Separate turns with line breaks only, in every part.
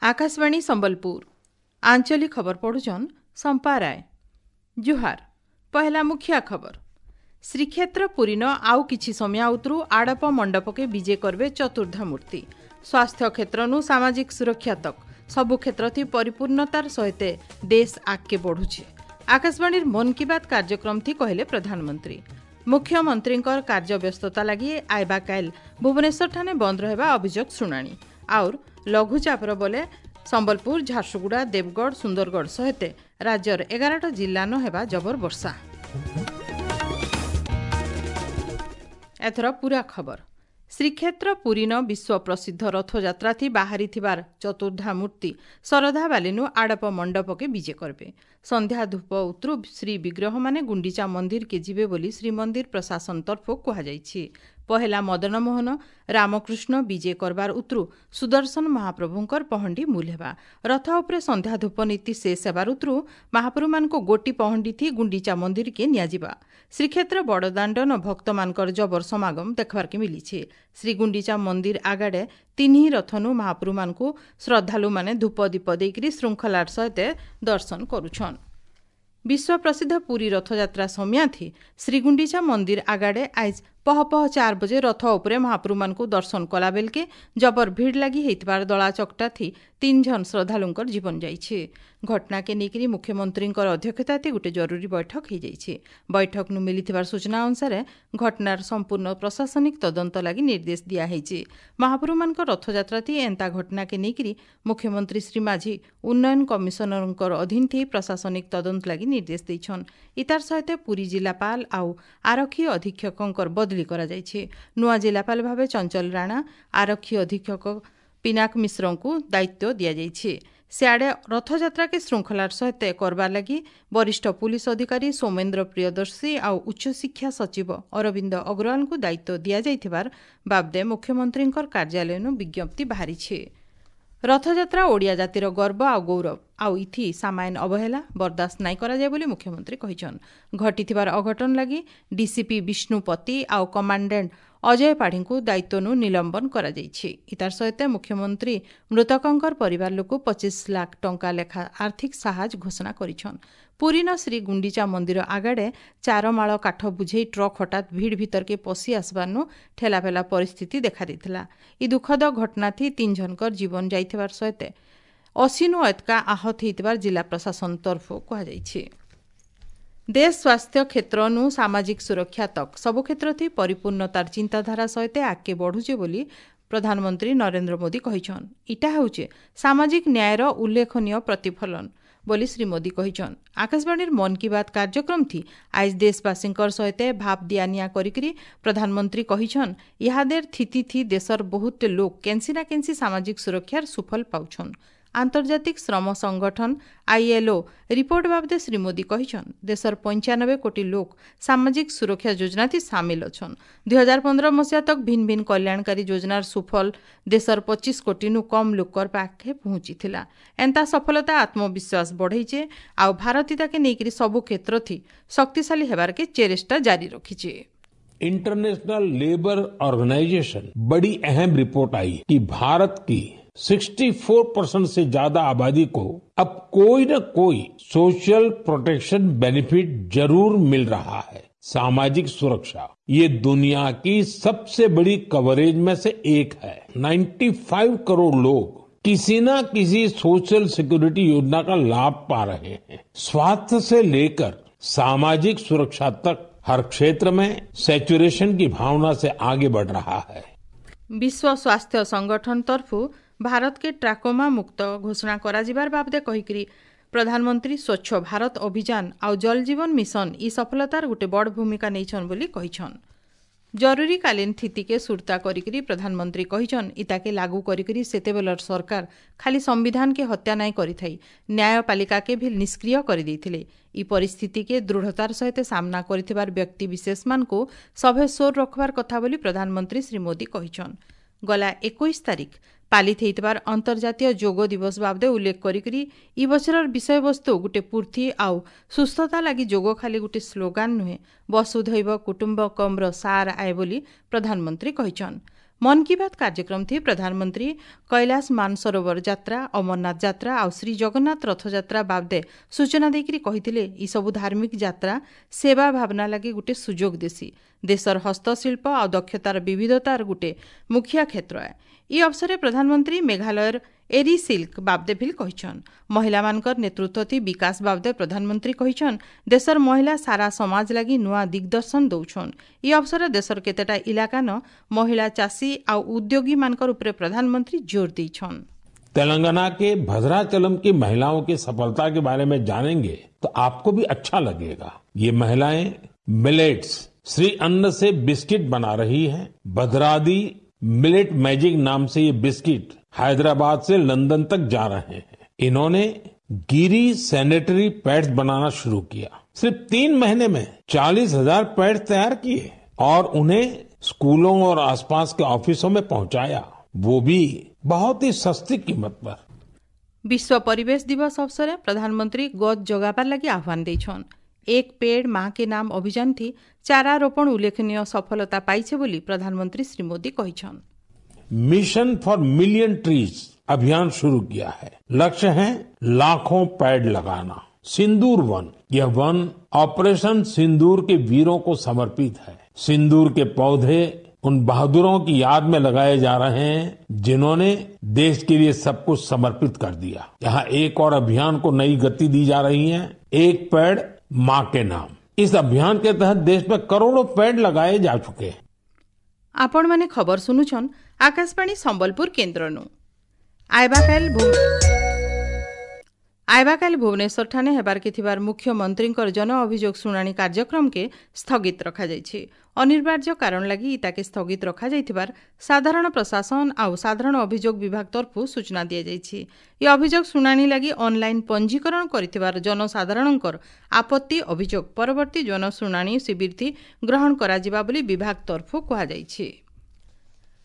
ଆକାଶବାଣୀ ସମ୍ବଲପୁର, ଆଞ୍ଚଳିକ ଖବର ପଢୁଛନ୍ ସମ୍ପା ରାୟ। ଜୁହାର। ପହେଲା ମୁଖିଆ ଖବର। ଶ୍ରୀକ୍ଷେତ୍ର ପୁରୀନ ଆଉ କିଛି ସମୟ ଉତରୁ ଆଡ଼ପ ମଣ୍ଡପକେ ବିଜେ କରବେ ଚତୁର୍ଦ୍ଧା ମୂର୍ତ୍ତି। ସ୍ୱାସ୍ଥ୍ୟ କ୍ଷେତ୍ରନୁ ସାମାଜିକ ସୁରକ୍ଷା ତକ୍ ସବୁ କ୍ଷେତ୍ରଥି ପରିପୂର୍ଣ୍ଣତାର ସହିତ ଦେଶ ଆଗକେ ବଢୁଛି, ଆକାଶବାଣୀର ମନ୍ କି ବାତ୍ କାର୍ଯ୍ୟକ୍ରମ ଥି କହିଲେ ପ୍ରଧାନମନ୍ତ୍ରୀ। ମୁଖ୍ୟମନ୍ତ୍ରୀଙ୍କର କାର୍ଯ୍ୟବ୍ୟସ୍ତତା ଲାଗି ଆଇବା କାଇଲ୍ ଭୁବନେଶ୍ୱରଠାନେ ବନ୍ଦ ରହିବା ଅଭିଯୋଗ ଶୁଣାଣି। ଆଉର୍ ଲଘୁଚାପର ବଲେ ସମ୍ବଲପୁର, ଝାରସୁଗୁଡ଼ା, ଦେବଗଡ଼, ସୁନ୍ଦରଗଡ଼ ସହିତ ରାଜ୍ୟର 11ଟା ଜିଲ୍ଲାନ ହେବା ଜବର ବର୍ଷା। ଏଥର ପୁରା ଖବର। ଶ୍ରୀକ୍ଷେତ୍ର ପୁରୀନ ବିଶ୍ୱ ପ୍ରସିଦ୍ଧ ରଥଯାତ୍ରାଥି ବାହାରିଥିବାର ଚତୁର୍ଦ୍ଧା ମୂର୍ତ୍ତି ଶରଧାବାଲିନୁ ଆଡ଼ପ ମଣ୍ଡପକେ ବିଜେ କରବେ। ସନ୍ଧ୍ୟା ଧୂପ ଉତରୁ ଶ୍ରୀ ବିଗ୍ରହମାନେ ଗୁଣ୍ଡିଚା ମନ୍ଦିରକେ ଯିବେ ବୋଲି ଶ୍ରୀମନ୍ଦିର ପ୍ରଶାସନ ତରଫରୁ କୁହାଯାଇଛି। ପହେଲା ମଦନମୋହନ, ରାମକୃଷ୍ଣ ବିଜେ କରବାର ଉତରୁ ସୁଦର୍ଶନ ମହାପ୍ରଭୁଙ୍କର ପହଣ୍ଡି ମୂଲ ହେବା। ରଥ ଉପରେ ସନ୍ଧ୍ୟା ଧୂପ ନୀତି ଶେଷ ହେବାର ଉତରୁ ମହାପ୍ରଭୁମାନଙ୍କୁ ଗୋଟି ପହଣ୍ଡି ଥି ଗୁଣ୍ଡିଚା ମନ୍ଦିରକେ ନିଆଯିବା। ଶ୍ରୀକ୍ଷେତ୍ର ବଡ଼ଦାଣ୍ଡନ ଭକ୍ତମାନଙ୍କର ଜବର ସମାଗମ ଦେଖବାର୍କେ ମିଲିଛି। ଶ୍ରୀ ଗୁଣ୍ଡିଚା ମନ୍ଦିର ଆଗାଡ଼େ ତିନି ରଥନୁ ମହାପ୍ରଭୁମାନଙ୍କୁ ଶ୍ରଦ୍ଧାଳୁମାନେ ଧୂପ ଦୀପ ଦେଇକରି ଶୃଙ୍ଖଳାର ସହିତ ଦର୍ଶନ କରୁଛନ୍। ବିଶ୍ୱ ପ୍ରସିଦ୍ଧ ପୁରୀ ରଥଯାତ୍ରା ସମିୟାଥି ଶ୍ରୀଗୁଣ୍ଡିଚା ମନ୍ଦିର ଆଗାଡ଼େ ଆଇଜ ପହ ପହ 4 ବଜେ ରଥ ଉପରେ ମହାପ୍ରଭୁମାନଙ୍କୁ ଦର୍ଶନ କଲା ବେଲକେ ଜବର ଭିଡ଼ ଲାଗି ହେଇଥିବାର ଦଳା ଚକଟାଥି 3 ଜଣ ଶ୍ରଦ୍ଧାଳୁଙ୍କର ଜୀବନ ଯାଇଛି। ଘଟଣାକେ ନେଇକରି ମୁଖ୍ୟମନ୍ତ୍ରୀଙ୍କର ଅଧ୍ୟକ୍ଷତାଥି ଗୋଟେ ଜରୁରୀ ବୈଠକ ହେଇଯାଇଛି। ବୈଠକନୁ ମିଳିଥିବାର ସୂଚନା ଅନୁସାରେ ଘଟଣାର ସମ୍ପୂର୍ଣ୍ଣ ପ୍ରଶାସନିକ ତଦନ୍ତ ଲାଗି ନିର୍ଦ୍ଦେଶ ଦିଆହେଇଛି। ମହାପ୍ରଭୁମାନଙ୍କ ରଥଯାତ୍ରାଥି ଏନ୍ତା ଘଟଣାକେ ନେଇକରି ମୁଖ୍ୟମନ୍ତ୍ରୀ ଶ୍ରୀ ମାଝୀ ଉନ୍ନୟନ କମିଶନରଙ୍କର ଅଧୀନ ଥି ପ୍ରଶାସନିକ ତଦନ୍ତ ଲାଗି ନିର୍ଦ୍ଦେଶ ଦେଇଛନ୍। ଇତାର ସହିତ ପୁରୀ ଜିଲ୍ଲାପାଳ ଆଉ ଆରକ୍ଷୀ ଅଧୀକ୍ଷକଙ୍କର ବଦଳି କରାଯାଇଛି। ନୂଆ ଜିଲ୍ଲାପାଳ ଭାବେ ଚଞ୍ଚଲ ରାଣା, ଆରକ୍ଷୀ ଅଧୀକ୍ଷକ ପିନାକ ମିଶ୍ରଙ୍କୁ ଦାୟିତ୍ୱ ଦିଆଯାଇଛି। ସିଆଡ଼େ ରଥଯାତ୍ରାକେ ଶୃଙ୍ଖଳାର ସହିତ କରବାର ଲାଗି ବରିଷ୍ଠ ପୁଲିସ ଅଧିକାରୀ ସୌମେନ୍ଦ୍ର ପ୍ରିୟଦର୍ଶୀ ଆଉ ଉଚ୍ଚଶିକ୍ଷା ସଚିବ ଅରବିନ୍ଦ ଅଗ୍ରୱାଲଙ୍କୁ ଦାୟିତ୍ୱ ଦିଆଯାଇଥିବାର ବାବଦେ ମୁଖ୍ୟମନ୍ତ୍ରୀଙ୍କର କାର୍ଯ୍ୟାଳୟନୁ ବିଜ୍ଞପ୍ତି ବାହାରିଛି। ରଥଯାତ୍ରା ଓଡ଼ିଆ ଜାତିର ଗର୍ବ ଆଉ ଗୌରବ, ଆଉ ଇଥି ସାମାନ୍ୟ ଅବହେଳା ବରଦାସ୍ତ ନାଇଁ କରାଯାଏ ବୋଲି ମୁଖ୍ୟମନ୍ତ୍ରୀ କହିଛନ୍। ଘଟିଥିବାର ଅଘଟଣ ଲାଗି ଡିସିପି ବିଷ୍ଣୁପତି ଆଉ କମାଣ୍ଡାଣ୍ଟ ଅଜୟ ପାଢ଼ୀଙ୍କୁ ଦାୟିତ୍ୱନୁ ନିଲମ୍ବନ କରାଯାଇଛି। ଇତାର ସହିତ ମୁଖ୍ୟମନ୍ତ୍ରୀ ମୃତକଙ୍କର ପରିବାର ଲୋକ 25 ଲାଖ ଟଙ୍କା ଲେଖା ଆର୍ଥିକ ସାହାଯ୍ୟ ଘୋଷଣା କରିଛନ୍। ପୁରୀନ ଶ୍ରୀ ଗୁଣ୍ଡିଚା ମନ୍ଦିର ଆଗାଡ଼େ ଚାରମାଳ କାଠ ବୁଝେଇ ଟ୍ରକ୍ ହଠାତ୍ ଭିଡ଼ ଭିତରକେ ପଶି ଆସିବାରନୁ ଠେଲାପେଲା ପରିସ୍ଥିତି ଦେଖାଦେଇଥିଲା। ଇ ଦୁଃଖଦ ଘଟଣାଥି 3 ଜଣଙ୍କର ଜୀବନ ଯାଇଥିବାର ସହିତ 80ନୁ ଏତକା ଆହତ ହେଇଥିବାର ଜିଲ୍ଲା ପ୍ରଶାସନ ତରଫରୁ କୁହାଯାଇଛି। ଦେଶ ସ୍ୱାସ୍ଥ୍ୟ କ୍ଷେତ୍ରନୁ ସାମାଜିକ ସୁରକ୍ଷା ତକ୍ ସବୁ କ୍ଷେତ୍ରଥି ପରିପୂର୍ଣ୍ଣତାର ଚିନ୍ତାଧାରା ସହିତ ଆଗକେ ବଢୁଛେ ବୋଲି ପ୍ରଧାନମନ୍ତ୍ରୀ ନରେନ୍ଦ୍ର ମୋଦି କହିଛନ୍। ଇଟା ହେଉଛେ ସାମାଜିକ ନ୍ୟାୟର ଉଲ୍ଲେଖନୀୟ ପ୍ରତିଫଳନ ବୋଲି ଶ୍ରୀ ମୋଦି କହିଛନ୍। ଆକାଶବାଣୀର ମନ୍ କି ବାତ୍ କାର୍ଯ୍ୟକ୍ରମ ଥି ଆଇଜ ଦେଶବାସୀଙ୍କର ସହିତ ଭାବ ଦିଆନିଆ କରିକିରି ପ୍ରଧାନମନ୍ତ୍ରୀ କହିଛନ୍, ଇହାଦେର ଥିତି ଥି ଦେଶର ବହୁତ ଲୋକ କେନ୍ସି ନା କେନ୍ସି ସାମାଜିକ ସୁରକ୍ଷାର ସୁଫଳ ପାଉଛନ୍। ଆନ୍ତର୍ଜାତିକ ଶ୍ରମ ସଂଗଠନ ଆଇଏଲ୍ଓ ରିପୋର୍ଟ ବାବଦେ ଶ୍ରୀ ମୋଦି କହିଛନ୍, ଦେଶର 95 କୋଟି ଲୋକ ସାମାଜିକ ସୁରକ୍ଷା ଯୋଜନାଥି ସାମିଲ ଅଛନ୍। 2015 ମସିହା ତକ୍ ଭିନ୍ନ ଭିନ୍ନ କଲ୍ୟାଣକାରୀ ଯୋଜନାର ସୁଫଳ ଦେଶର 25 କୋଟିନୁ କମ୍ ଲୋକର ପାଖେ ପହଞ୍ଚିଥିଲା। ଏନ୍ତା ସଫଳତା ଆତ୍ମବିଶ୍ୱାସ ବଢ଼େଇଛେ ଆଉ ଭାରତ ତାକେ ନେଇକରି ସବୁ କ୍ଷେତ୍ରଥି ଶକ୍ତିଶାଳୀ ହେବାରକେ ଚେଷ୍ଟା ଜାରି ରଖିଛେ।
इंटरनेशनल लेबर ऑर्गेनाइजेशन बड़ी अहम रिपोर्ट आई कि भारत की 64% से ज्यादा आबादी को अब कोई न कोई सोशल प्रोटेक्शन बेनिफिट जरूर मिल रहा है। सामाजिक सुरक्षा ये दुनिया की सबसे बड़ी कवरेज में से एक है। 95 करोड़ लोग किसी न किसी सोशल सिक्योरिटी योजना का लाभ पा रहे हैं। स्वास्थ्य से लेकर सामाजिक सुरक्षा तक हर क्षेत्र में सैचुरेशन की भावना से आगे बढ़ रहा है।
विश्व स्वास्थ्य संगठन तरफू भारत के ट्राकोमा मुक्त घोषणा କରାଯିବାର ବାବଦେ କହିକରି ପ୍ରଧାନମନ୍ତ୍ରୀ ସ୍ୱଚ୍ଛ ଭାରତ ଅଭିଯାନ ଆଉ ଜଳ ଜୀବନ ମିଶନ ଇ ସଫଳତାର ଗୋଟେ ବଡ଼ ଭୂମିକା ନେଇଛନ୍ ବୋଲି କହିଛନ୍। ଜରୁରୀକାଳୀନ ସ୍ଥିତିକେ ସୁରତା କରିକିରି ପ୍ରଧାନମନ୍ତ୍ରୀ କହିଛନ୍, ଇତାକେ ଲାଗୁ କରିକିରି ସେତେବେଲର ସରକାର ଖାଲି ସମ୍ବିଧାନକେ ହତ୍ୟା ନାଇଁ କରିଥାଇ ନ୍ୟାୟପାଳିକାକେ ବି ନିଷ୍କ୍ରିୟ କରିଦେଇଥିଲେ। ଇ ପରିସ୍ଥିତିକେ ଦୃଢ଼ତାର ସହିତ ସାମ୍ନା କରିଥିବାର ବ୍ୟକ୍ତି ବିଶେଷମାନଙ୍କୁ ସଭେ ସୋର ରଖବାର କଥା ବୋଲି ପ୍ରଧାନମନ୍ତ୍ରୀ ଶ୍ରୀ ମୋଦି କହିଛନ୍। ଗଲା 21 ତାରିଖ ପାଳିତ ହେଇଥିବାର ଅନ୍ତର୍ଜାତୀୟ ଯୋଗ ଦିବସ ବାବଦେ ଉଲ୍ଲେଖ କରିକିରି ଇ ବଛରର ବିଷୟବସ୍ତୁ ଗୋଟେ ପୂର୍ତ୍ତି ଆଉ ସୁସ୍ଥତା ଲାଗି ଯୋଗ ଖାଲି ଗୋଟେ ସ୍ଲୋଗାନ ନୁହେଁ, ବସୁଧୈବ କୁଟୁମ୍ବକମ୍ର ସାର ଆଏ ବୋଲି ପ୍ରଧାନମନ୍ତ୍ରୀ କହିଛନ୍। ମନ୍ କି ବାତ୍ କାର୍ଯ୍ୟକ୍ରମ ଥି ପ୍ରଧାନମନ୍ତ୍ରୀ କୈଳାସ ମାନସରୋବର ଯାତ୍ରା, ଅମରନାଥ ଯାତ୍ରା ଆଉ ଶ୍ରୀ ଜଗନ୍ନାଥ ରଥଯାତ୍ରା ବାବଦେ ସୂଚନା ଦେଇକରି କହିଥିଲେ, ଇ ସବୁ ଧାର୍ମିକ ଯାତ୍ରା ସେବା ଭାବନା ଲାଗି ଗୋଟେ ସୁଯୋଗ ଦେସି। ଦେଶର ହସ୍ତଶିଳ୍ପ ଆଉ ଦକ୍ଷତାର ବିବିଧତାର ଗୋଟେ ମୁଖିଆ କ୍ଷେତ୍ର ଏ। ଇ ଅବସରରେ ପ୍ରଧାନମନ୍ତ୍ରୀ ମେଘାଳୟର ଏରି ସିଲ୍କ ବାବଦେ ଭିଲ୍ କହିଛନ୍। ମହିଳାମାନଙ୍କର ନେତୃତ୍ୱ ଥି ବିକାଶ ବାବଦେ ପ୍ରଧାନମନ୍ତ୍ରୀ କହିଛନ୍, ଦେଶର ମହିଳା ସାରା ସମାଜ ଲାଗି ନୂଆ ଦିଗ୍ଦର୍ଶନ ଦଉଛନ୍। ଇ ଅବସରରେ ଦେଶର କେତେଟା ଇଲାକାନ ମହିଳା ଚାଷୀ ଆଉ ଉଦ୍ୟୋଗୀମାନଙ୍କର ଉପରେ ପ୍ରଧାନମନ୍ତ୍ରୀ ଜୋର ଦେଇଛନ୍।
तेलंगाना के भद्राचलम की महिलाओं की सफलता के बारे में जानेंगे तो आपको भी अच्छा लगेगा। ये महिलाएं मिलेट्स श्री अन्न से बिस्किट बना रही हैं। भद्रादी मिलेट मैजिक नाम से ये बिस्किट हैदराबाद से लंदन तक जा रहे हैं। इन्होंने गिरी सैनिटरी पैड्स बनाना शुरू किया। सिर्फ 3 महीने में 40,000 पैड्स तैयार किए और उन्हें स्कूलों और आसपास के ऑफिसों में पहुंचाया, वो भी बहुत ही सस्ती कीमत पर।
ବିଶ୍ୱ ପରିବେଶ ଦିବସ ଅବସରରେ ପ୍ରଧାନମନ୍ତ୍ରୀ ଗଛ ଜଗାବାର ଲାଗି ଆହ୍ୱାନ ଦେଇଛନ୍। ଏକ ପେଡ଼ ମା କେ ନାମ ଅଭିଯାନ ଥି ଚାରା ରୋପଣ ଉଲ୍ଲେଖନୀୟ ସଫଳତା ପାଇছে ବୋଲି ପ୍ରଧାନମନ୍ତ୍ରୀ ଶ୍ରୀ ମୋଦି କହିଛନ୍।
मिशन फॉर मिलियन ट्रीज अभियान शुरू किया है। लक्ष्य है लाखों पेड़ लगाना। सिंदूर वन, यह वन ऑपरेशन सिंदूर के वीरों को समर्पित है। सिंदूर के पौधे उन बहादुरों की याद में लगाए जा रहे हैं जिन्होंने देश के लिए सब कुछ समर्पित कर दिया। यहाँ एक और अभियान को नई गति दी जा रही है, एक पेड़ मां के नाम। इस अभियान के तहत देश में करोड़ों पेड़ लगाए जा चुके हैं।
ଆପଣମାନେ ଖବର ଶୁଣୁଛନ୍ ଆକାଶବାଣୀ ସମ୍ବଲପୁର କେନ୍ଦ୍ରନୁ। ଆଇବାକାଲ ଭୁବନେଶ୍ୱରଠାନେ ହେବାର୍କେ ଥିବାର ମୁଖ୍ୟମନ୍ତ୍ରୀଙ୍କର ଜନ ଅଭିଯୋଗ ଶୁଣାଣି କାର୍ଯ୍ୟକ୍ରମକେ ସ୍ଥଗିତ ରଖାଯାଇଛି। ଅନିବାର୍ଯ୍ୟ କାରଣ ଲାଗି ଇତାକେ ସ୍ଥଗିତ ରଖାଯାଇଥିବାର ସାଧାରଣ ପ୍ରଶାସନ ଆଉ ସାଧାରଣ ଅଭିଯୋଗ ବିଭାଗ ତରଫରୁ ସୂଚନା ଦିଆଯାଇଛି। ଏ ଅଭିଯୋଗ ଶୁଣାଣି ଲାଗି ଅନଲାଇନ୍ ପଞ୍ଜୀକରଣ କରିଥିବାର ଜନସାଧାରଣଙ୍କର ଆପତ୍ତି ଅଭିଯୋଗ ପରବର୍ତ୍ତୀ ଜନଶୁଣାଣି ଶିବିରଥି ଗ୍ରହଣ କରାଯିବା ବୋଲି ବିଭାଗ ତରଫରୁ କୁହାଯାଇଛି।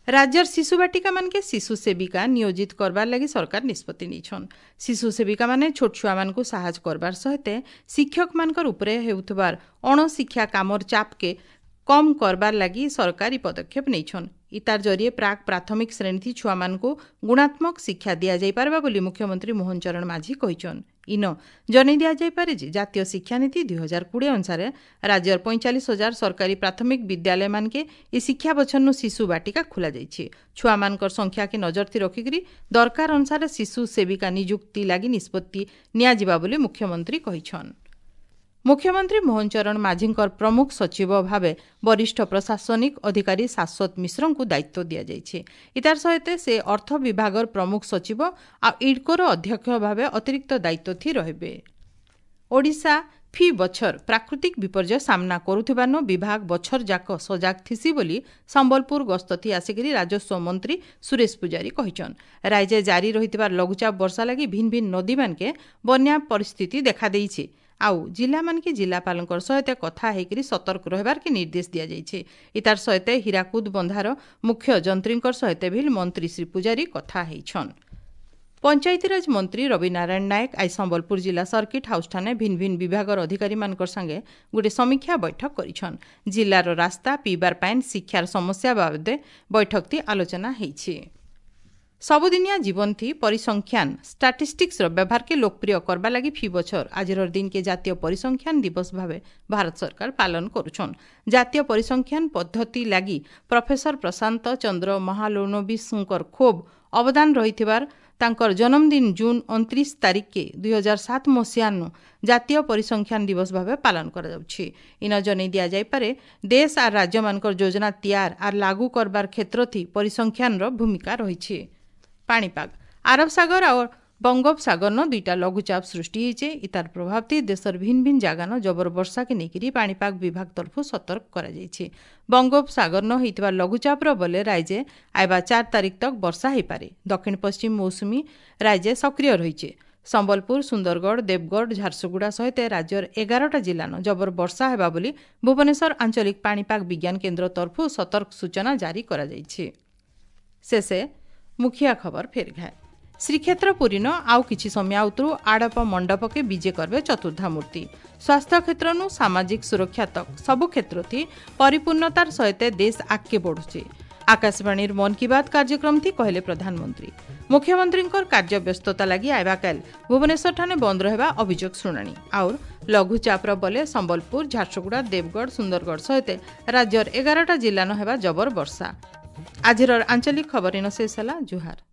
ରାଜ୍ୟର ଶିଶୁ ବାଟିକାମାନକେ ଶିଶୁ ସେବିକା ନିୟୋଜିତ କରବାର ଲାଗି ସରକାର ନିଷ୍ପତ୍ତି ନେଇଛନ୍। ଶିଶୁ ସେବିକାମାନେ ଛୋଟ ଛୁଆମାନଙ୍କୁ ସାହାଯ୍ୟ କରବାର ସହିତ ଶିକ୍ଷକମାନଙ୍କର ଉପରେ ହେଉଥିବାର ଅଣଶିକ୍ଷା କାମର ଚାପକେ କମ୍ କରବାର ଲାଗି ସରକାର ଇ ପଦକ୍ଷେପ ନେଇଛନ୍। ଇତାର ଜରିଏ ପ୍ରାକ୍ ପ୍ରାଥମିକ ଶ୍ରେଣୀଥି ଛୁଆମାନଙ୍କୁ ଗୁଣାତ୍ମକ ଶିକ୍ଷା ଦିଆଯାଇପାରବା ବୋଲି ମୁଖ୍ୟମନ୍ତ୍ରୀ ମୋହନ ଚରଣ ମାଝୀ କହିଛନ୍। ଇନ ଜଣାଇ ଦିଆଯାଇପାରେ ଯେ ଜାତୀୟ ଶିକ୍ଷାନୀତି 2020 ଅନୁସାରେ ରାଜ୍ୟର 45,000 ସରକାରୀ ପ୍ରାଥମିକ ବିଦ୍ୟାଳୟମାନକେ ଇ ଶିକ୍ଷା ବଛରନୁ ଶିଶୁ ବାଟିକା ଖୋଲାଯାଇଛି। ଛୁଆମାନଙ୍କର ସଂଖ୍ୟାକେ ନଜରଥି ରଖିକରି ଦରକାର ଅନୁସାରେ ଶିଶୁ ସେବିକା ନିଯୁକ୍ତି ଲାଗି ନିଷ୍ପତ୍ତି ନିଆଯିବା ବୋଲି ମୁଖ୍ୟମନ୍ତ୍ରୀ କହିଛନ୍। ମୁଖ୍ୟମନ୍ତ୍ରୀ ମୋହନ ଚରଣ ମାଝୀଙ୍କର ପ୍ରମୁଖ ସଚିବ ଭାବେ ବରିଷ୍ଠ ପ୍ରଶାସନିକ ଅଧିକାରୀ ଶାଶ୍ୱତ ମିଶ୍ରଙ୍କୁ ଦାୟିତ୍ୱ ଦିଆଯାଇଛି। ଇତାର ସହିତ ସେ ଅର୍ଥ ବିଭାଗର ପ୍ରମୁଖ ସଚିବ ଆଉ ଇଡ୍କୋର ଅଧ୍ୟକ୍ଷ ଭାବେ ଅତିରିକ୍ତ ଦାୟିତ୍ୱ ଥି ରହିବେ। ଓଡ଼ିଶା ଫି ବଛର ପ୍ରାକୃତିକ ବିପର୍ଯ୍ୟୟ ସାମ୍ନା କରୁଥିବାରୁ ବିଭାଗ ବଛର ଯାକ ସଜାଗ ଥିସି ବୋଲି ସମ୍ବଲପୁର ଗସ୍ତଥି ଆସିକରି ରାଜସ୍ୱ ମନ୍ତ୍ରୀ ସୁରେଶ ପୂଜାରୀ କହିଛନ୍। ରାଜ୍ୟ ଜାରି ରହିଥିବା ଲଘୁଚାପ ବର୍ଷା ଲାଗି ଭିନ୍ନ ଭିନ୍ନ ନଦୀମାନକେ ବନ୍ୟା ପରିସ୍ଥିତି ଦେଖାଦେଇଛି ଆଉ ଜିଲ୍ଲାମାନକେ ଜିଲ୍ଲାପାଳଙ୍କର ସହିତ କଥା ହେଇକରି ସତର୍କ ରହିବାର୍କେ ନିର୍ଦ୍ଦେଶ ଦିଆଯାଇଛି। ଇତାର ସହିତ ହୀରାକୁଦ ବନ୍ଧାର ମୁଖ୍ୟ ଯନ୍ତ୍ରୀଙ୍କର ସହିତ ବି ମନ୍ତ୍ରୀ ଶ୍ରୀ ପୂଜାରୀ କଥା ହେଇଛନ୍। ପଞ୍ଚାୟତିରାଜ ମନ୍ତ୍ରୀ ରବି ନାରାୟଣ ନାୟକ ଆଜି ସମ୍ବଲପୁର ଜିଲ୍ଲା ସର୍କିଟ୍ ହାଉସ୍ଠାନେ ଭିନ୍ନ ଭିନ୍ନ ବିଭାଗର ଅଧିକାରୀମାନଙ୍କର ସାଙ୍ଗେ ଗୋଟେ ସମୀକ୍ଷା ବୈଠକ କରିଛନ୍। ଜିଲ୍ଲାର ରାସ୍ତା, ପିଇବାର ପାଏନ୍, ଶିକ୍ଷାର ସମସ୍ୟା ବାବଦେ ବୈଠକଟି ଆଲୋଚନା ହେଇଛି। ସବୁଦିନିଆ ଜୀବନଥି ପରିସଂଖ୍ୟାନ ଷ୍ଟାଟିଷ୍ଟିକ୍ସର ବ୍ୟବହାରକେ ଲୋକପ୍ରିୟ କରବା ଲାଗି ଫି ବଛର ଆଜିର ଦିନକେ ଜାତୀୟ ପରିସଂଖ୍ୟାନ ଦିବସ ଭାବେ ଭାରତ ସରକାର ପାଳନ କରୁଛନ୍। ଜାତୀୟ ପରିସଂଖ୍ୟାନ ପଦ୍ଧତି ଲାଗି ପ୍ରଫେସର ପ୍ରଶାନ୍ତ ଚନ୍ଦ୍ର ମହାଲୋନବିଶଙ୍କର ଖୁବ୍ ଅବଦାନ ରହିଥିବାର ତାଙ୍କର ଜନ୍ମଦିନ ଜୁନ୍ 29 ତାରିଖକେ 2007 ମସିହାନୁ ଜାତୀୟ ପରିସଂଖ୍ୟାନ ଦିବସ ଭାବେ ପାଳନ କରାଯାଉଛି। ଇନ ଜନେଇ ଦିଆଯାଇପାରେ, ଦେଶ ଆର୍ ରାଜ୍ୟମାନଙ୍କର ଯୋଜନା ତିଆର ଆର୍ ଲାଗୁ କରବାର କ୍ଷେତ୍ରଥି ପରିସଂଖ୍ୟାନର ଭୂମିକା ରହିଛି। ପାଣିପାଗ, ଆରବ ସାଗର ଆଉ ବଙ୍ଗୋପସାଗରନ ଦୁଇଟା ଲଘୁଚାପ ସୃଷ୍ଟି ହେଇଛେ। ଇତାର ପ୍ରଭାବଥି ଦେଶର ଭିନ୍ନ ଭିନ୍ନ ଜାଗାନ ଜବର ବର୍ଷାକେ ନେଇକରି ପାଣିପାଗ ବିଭାଗ ତରଫରୁ ସତର୍କ କରାଯାଇଛି। ବଙ୍ଗୋପସାଗରନ ହେଇଥିବା ଲଘୁଚାପର ବଲେ ରାଜ୍ୟ ଆଇବା 4 ତାରିଖ ତକ ବର୍ଷା ହେଇପାରେ। ଦକ୍ଷିଣ ପଶ୍ଚିମ ମୌସୁମୀ ରାଜ୍ୟ ସକ୍ରିୟ ରହିছে। ସମ୍ବଲପୁର, ସୁନ୍ଦରଗଡ଼, ଦେବଗଡ଼, ଝାରସୁଗୁଡ଼ା ସହିତ ରାଜ୍ୟର 11ଟା ଜିଲ୍ଲାନ ଜବର ବର୍ଷା ହେବା ବୋଲି ଭୁବନେଶ୍ୱର ଆଞ୍ଚଳିକ ପାଣିପାଗ ବିଜ୍ଞାନ କେନ୍ଦ୍ର ତରଫରୁ ସତର୍କ ସୂଚନା ଜାରି କରାଯାଇଛି। ଶେଷେ ମୁଖିଆ ଖବର ଫେର ଘାଏ। ଶ୍ରୀକ୍ଷେତ୍ର ପୁରୀନ ଆଉ କିଛି ସମୟ ଉତରୁ ଆଡ଼ପ ମଣ୍ଡପକେ ବିଜେ କରବେ ଚତୁର୍ଦ୍ଧା ମୂର୍ତ୍ତି। ସ୍ୱାସ୍ଥ୍ୟ କ୍ଷେତ୍ରନୁ ସାମାଜିକ ସୁରକ୍ଷା ତକ ସବୁ କ୍ଷେତ୍ରଥି ପରିପୂର୍ଣ୍ଣତାର ସହିତ ଦେଶ ଆଗକେ ବଢୁଛି। ଆକାଶବାଣୀର ମନ୍ କି ବାତ୍ କାର୍ଯ୍ୟକ୍ରମ ଥି କହିଲେ ପ୍ରଧାନମନ୍ତ୍ରୀ। ମୁଖ୍ୟମନ୍ତ୍ରୀଙ୍କର କାର୍ଯ୍ୟ ବ୍ୟସ୍ତତା ଲାଗି ଆଇବାକାଲ ଭୁବନେଶ୍ୱରଠାନେ ବନ୍ଦ ରହିବା ଅଭିଯୋଗ ଶୁଣାଣି। ଆଉର ଲଘୁଚାପର ବଲେ ସମ୍ବଲପୁର, ଝାରସୁଗୁଡ଼ା, ଦେବଗଡ଼, ସୁନ୍ଦରଗଡ଼ ସହିତ ରାଜ୍ୟର 11ଟା ଜିଲ୍ଲାନ ହେବା ଜବର ବର୍ଷା। ଆଜିର ଆଞ୍ଚଳିକ ଖବର ଇନ ଶେଷ ହେଲା। ଜୁହାର।